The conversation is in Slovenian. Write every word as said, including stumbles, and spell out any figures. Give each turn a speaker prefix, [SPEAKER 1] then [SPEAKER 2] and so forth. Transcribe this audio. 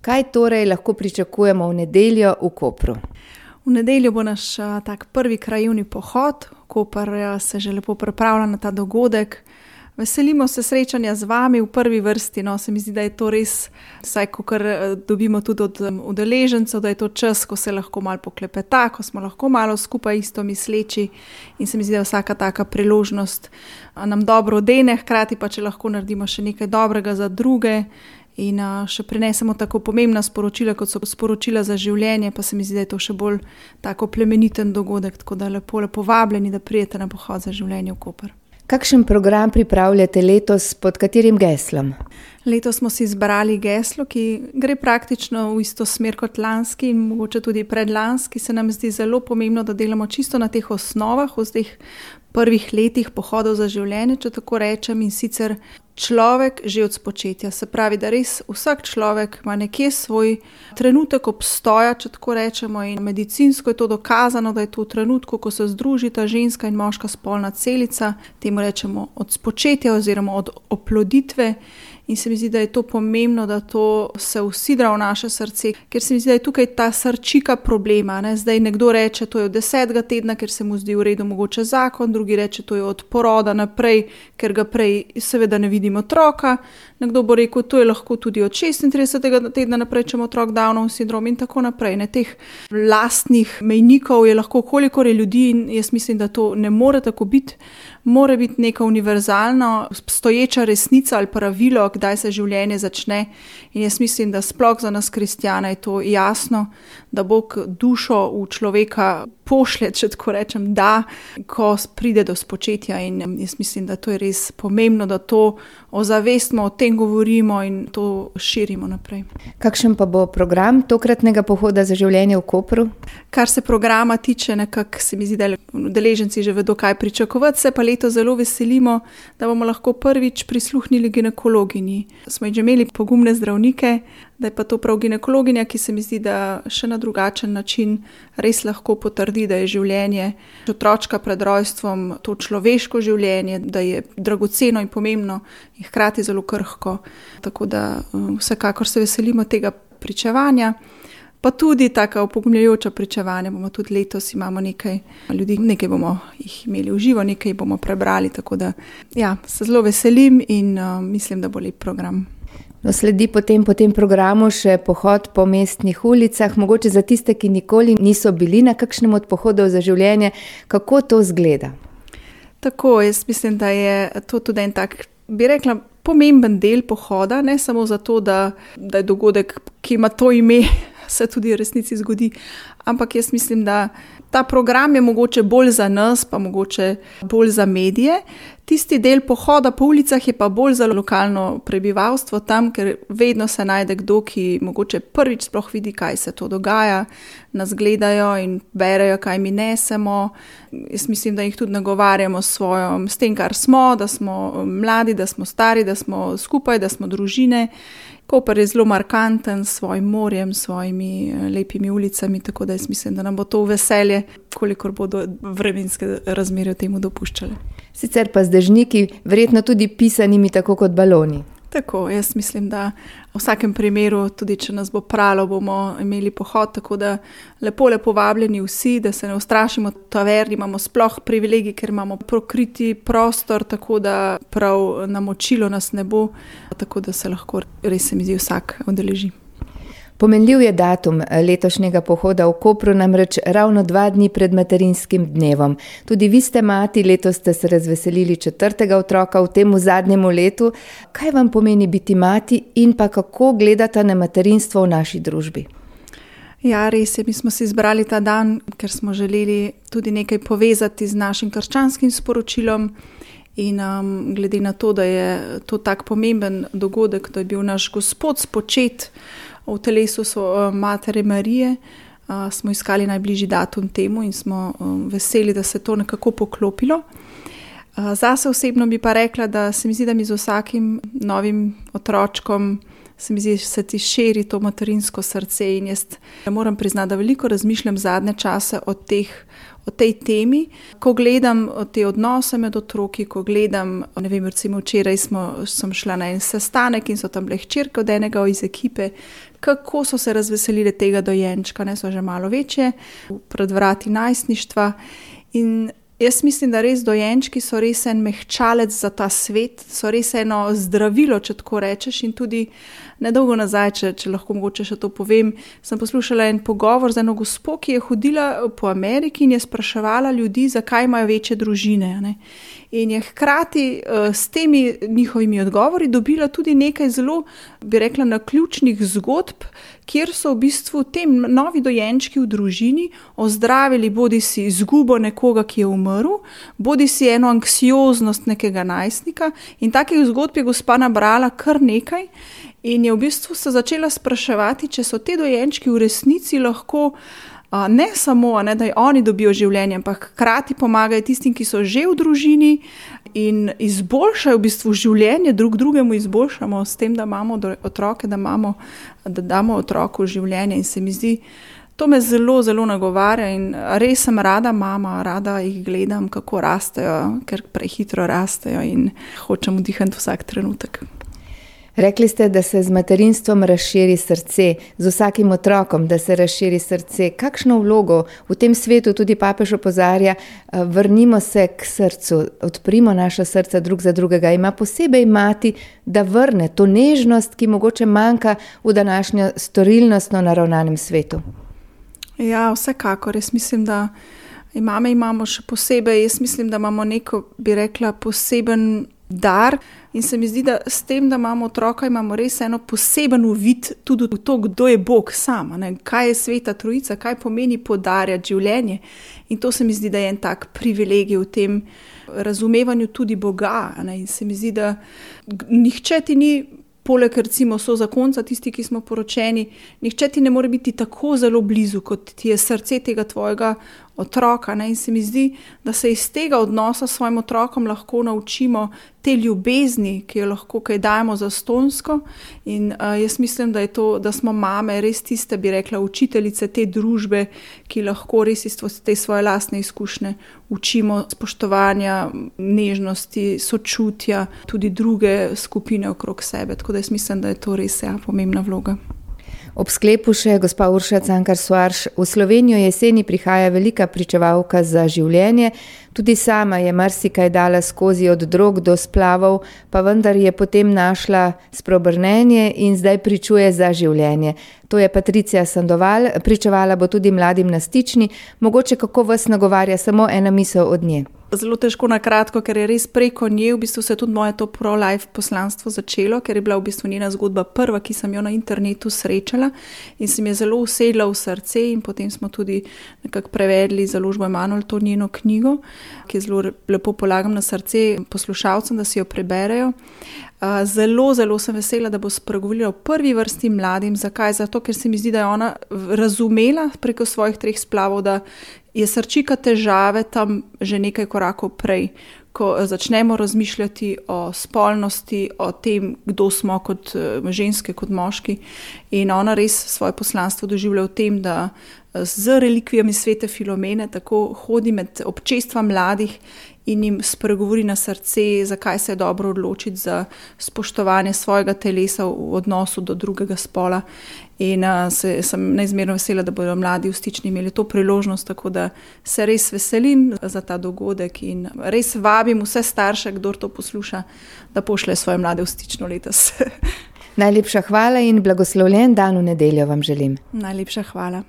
[SPEAKER 1] Kaj torej lahko pričakujemo v nedeljo v Kopru?
[SPEAKER 2] V nedeljo bo naš a, tak prvi krajevni pohod. Koper a, se že lepo pripravlja na ta dogodek. Veselimo se srečanja z vami v prvi vrsti. No, se mi zdi, da je to res, vsaj kakor dobimo tudi od udeležencev, da je to čas, ko se lahko malo poklepeta, ko smo lahko malo skupaj isto misleči in se mi zdi, da je vsaka taka priložnost nam dobro odene, hkrati pa če lahko naredimo še nekaj dobrega za druge in a, še prinesemo tako pomembna sporočila, kot so sporočila za življenje, pa se mi zdi, da je to še bolj tako plemeniten dogodek, tako da lepo, lepo vabljeni, da prijete na pohod za življenje v Koper.
[SPEAKER 1] Kakšen program pripravljate letos, pod katerim geslom?
[SPEAKER 2] Letos smo si izbrali geslo, ki gre praktično v isto smer kot lanski in mogoče tudi predlanski. Se nam zdi zelo pomembno, da delamo čisto na teh osnovah, v teh prvih letih pohodov za življenje, če tako rečem, in sicer človek že od spočetja. Se pravi, da res vsak človek ima nekje svoj trenutek obstoja, če tako rečemo, in medicinsko je to dokazano, da je to v trenutku, ko se združita ženska in moška spolna celica, temu rečemo od spočetja oziroma od oploditve. In se mi zdi, da je to pomembno, da to se usidra v naše srce, ker se mi zdi, da je tukaj ta srčika problema. Ne? Zdaj nekdo reče, to je od desetega tedna, ker se mu zdi v redu mogoče zakon, drugi reče, to je od poroda naprej, ker ga prej seveda ne vidimo otroka. Nekdo bo rekel, to je lahko tudi od šestintridesetega tedna naprej, če ima otrok Downov sindrom in tako naprej. Ne? Teh lastnih mejnikov je lahko kolikor je ljudi in jaz mislim, da to ne more tako biti. Mora biti neka univerzalna, stoječa resnica ali pravilo, kdaj se življenje začne. In jaz mislim, da sploh za nas kristjane je to jasno, da Bog dušo v človeka pošlje, če tako rečem, da, ko pride do spočetja. In jaz mislim, da to je res pomembno, da to ozavestimo, o tem govorimo in to širimo naprej.
[SPEAKER 1] Kakšen pa bo program tokratnega pohoda za življenje v Kopru?
[SPEAKER 2] Kar se programa tiče, nekako se mi zdi, da udeleženci že vedo, kaj pričakovati, se pa leto zelo veselimo, da bomo lahko prvič prisluhnili ginekologinji. Smo že imeli pogumne zdravnike, da je pa to prav ginekologinja, ki se mi zdi, da še na drugačen način res lahko potrdi, da je življenje otročka pred rojstvom to človeško življenje, da je dragoceno in pomembno in hkrati zelo krhko. Tako da vsekakor se veselimo tega pričevanja. Pa tudi taka opogumljajoča pričevanja, bomo tudi letos imamo nekaj ljudi, nekaj bomo jih imeli v živo, nekaj bomo prebrali, tako da ja, se zelo veselim in uh, mislim, da bo lep program.
[SPEAKER 1] No, sledi potem po tem programu še pohod po mestnih ulicah, mogoče za tiste, ki nikoli niso bili na kakšnem od pohodov za življenje, kako to zgleda?
[SPEAKER 2] Tako, jaz mislim, da je to tudi en tak, bi rekla, pomemben del pohoda, ne samo zato, da, da je dogodek, ki ima to ime, se tudi v resnici zgodi, ampak jaz mislim, da ta program je mogoče bolj za nas, pa mogoče bolj za medije. Tisti del pohoda po ulicah je pa bolj za lokalno prebivalstvo tam, ker vedno se najde kdo, ki mogoče prvič sploh vidi, kaj se to dogaja, nas gledajo in berejo, kaj mi nesemo. Jaz mislim, da jih tudi nagovarjamo s svojom, s tem, kar smo, da smo mladi, da smo stari, da smo skupaj, da smo družine. Koper je zelo markanten s svojim morjem, s svojimi lepimi ulicami, tako da jaz mislim, da nam bo to veselje, kolikor bodo vremenske razmere temu dopuščale.
[SPEAKER 1] Sicer pa z dežniki, verjetno tudi pisanimi tako kot baloni.
[SPEAKER 2] Tako, jaz mislim, da v vsakem primeru, tudi če nas bo pralo, bomo imeli pohod, tako da lepo, lepo vabljeni vsi, da se ne ustrašimo taverni, imamo sploh privilegij, ker imamo prokriti prostor, tako da prav namočilo nas ne bo, tako da se lahko res se mi zdi vsak udeleži.
[SPEAKER 1] Pomenljiv je datum letošnjega pohoda v Kopru, namreč ravno dva dni pred materinskim dnevom. Tudi vi ste mati, letos ste se razveselili četrtega otroka v temu zadnjemu letu. Kaj vam pomeni biti mati in pa kako gledate na materinstvo v naši družbi?
[SPEAKER 2] Ja, res je, mi smo si izbrali ta dan, ker smo želeli tudi nekaj povezati z našim krščanskim sporočilom. In um, glede na to, da je to tak pomemben dogodek, da je bil naš Gospod spočet v telesu so, Matere Marije, uh, smo iskali najbližji datum temu in smo um, veseli, da se to nekako poklopilo. Uh, zase osebno bi pa rekla, da se mi zdi, da mi z vsakim novim otročkom se mi zdi, se ti širi to materinsko srce in jaz moram priznati, da veliko razmišljam zadnje čase o teh o tej temi, ko gledam te odnose med otroki, ko gledam, ne vem, recimo včeraj smo, sem šla na en sestanek in so tam bile hčerke od enega iz ekipe, kako so se razveselile tega dojenčka, ne, so že malo večje, pred vrati najstništva in jaz mislim, da res dojenčki so res en mehčalec za ta svet, so res eno zdravilo, če tako rečeš in tudi nedolgo nazaj, če, če lahko mogoče še to povem, sem poslušala en pogovor z eno gospo, ki je hodila po Ameriki in je spraševala ljudi, zakaj imajo večje družine, ne. In je hkrati uh, s temi njihovimi odgovori dobila tudi nekaj zelo, bi rekla, naključnih zgodb, kjer so v bistvu tem novi dojenčki v družini ozdravili bodi si izgubo nekoga, ki je umrl, bodi si eno anksioznost nekega najstnika in takih zgodb je gospa nabrala kar nekaj in je v bistvu se začela spraševati, če so te dojenčki v resnici lahko ne samo, ne, da oni dobijo življenje, ampak hkrati pomagajo tistim, ki so že v družini in izboljšajo v bistvu življenje, drug drugemu izboljšamo s tem, da imamo otroke, da, imamo, da damo otroku življenje in se mi zdi, to me zelo, zelo nagovarja in res sem rada mama, rada jih gledam, kako rastejo, ker prehitro rastejo in hočem vdihati vsak trenutek.
[SPEAKER 1] Rekli ste, da se z materinstvom razširi srce, z vsakim otrokom, da se razširi srce. Kakšno vlogo v tem svetu tudi papež opozarja, vrnimo se k srcu, odprimo naša srca drug za drugega. Ima posebej mati, da vrne to nežnost, ki mogoče manjka v današnjo storilnostno naravnanem svetu.
[SPEAKER 2] Ja, vsekakor. Jaz mislim, da mame imamo še posebej, jaz mislim, da imamo neko, bi rekla, poseben dar in se mi zdi, da s tem, da imamo otroka, imamo res eno poseben uvid tudi v to, kdo je Bog sam, ne? Kaj je Sveta Trojica, kaj pomeni podarjati življenje in to se mi zdi, da je en tak privilegij v tem razumevanju tudi Boga, ne? In se mi zdi, da nihče ti ni, poleg recimo so zakonca, tisti, ki smo poročeni, nihče ti ne more biti tako zelo blizu, kot ti je srce tega tvojega otroka, ne? In se mi zdi, da se iz tega odnosa s svojim otrokom lahko naučimo te ljubezni, ki jo lahko kaj dajemo zastonjsko in uh, jaz mislim, da je to, da smo mame res tiste, bi rekla, učiteljice te družbe, ki lahko res iz te svoje lastne izkušnje učimo spoštovanja, nežnosti, sočutja, tudi druge skupine okrog sebe, tako da jaz mislim, da je to res ja, pomembna vloga.
[SPEAKER 1] Ob sklepu še gospa Urša Cankar Soarš, v Slovenijo jeseni prihaja velika pričevalka za življenje, tudi sama je marsikaj dala skozi od drog do splavov, pa vendar je potem našla spreobrnenje in zdaj pričuje za življenje. To je Patricija Sandoval, pričevala bo tudi mladim na Stični, mogoče kako vas nagovarja samo ena misel od nje.
[SPEAKER 2] Zelo težko na kratko, ker je res preko nje v bistvu se tudi moje to pro-life poslanstvo začelo, ker je bila v bistvu njena zgodba prva, ki sem jo na internetu srečala in se mi je zelo usedla v srce in potem smo tudi nekako prevedli založbo Emanuel to njeno knjigo, ki zelo lepo polagam na srce poslušalcem, da si jo preberejo. Zelo, zelo sem vesela, da bo spregovorila v prvi vrsti mladim. Zakaj? Zato, ker se mi zdi, da je ona razumela preko svojih treh splavov, da je srčika težave tam že nekaj korakov prej, ko začnemo razmišljati o spolnosti, o tem, kdo smo kot ženske, kot moški. In ona res svoje poslanstvo doživlja v tem, da z relikvijami svete Filomene tako hodi med občestva mladih in jim spregovori na srce, zakaj se je dobro odločiti za spoštovanje svojega telesa v odnosu do drugega spola. In uh, se, sem neizmerno vesela, da bodo mladi v Stični imeli to priložnost, tako da se res veselim za ta dogodek in res vabim vse starše, kdor to posluša, da pošlje svoje mlade v Stično letos.
[SPEAKER 1] Najlepša hvala in blagoslovljen dan v nedeljo vam želim.
[SPEAKER 2] Najlepša hvala.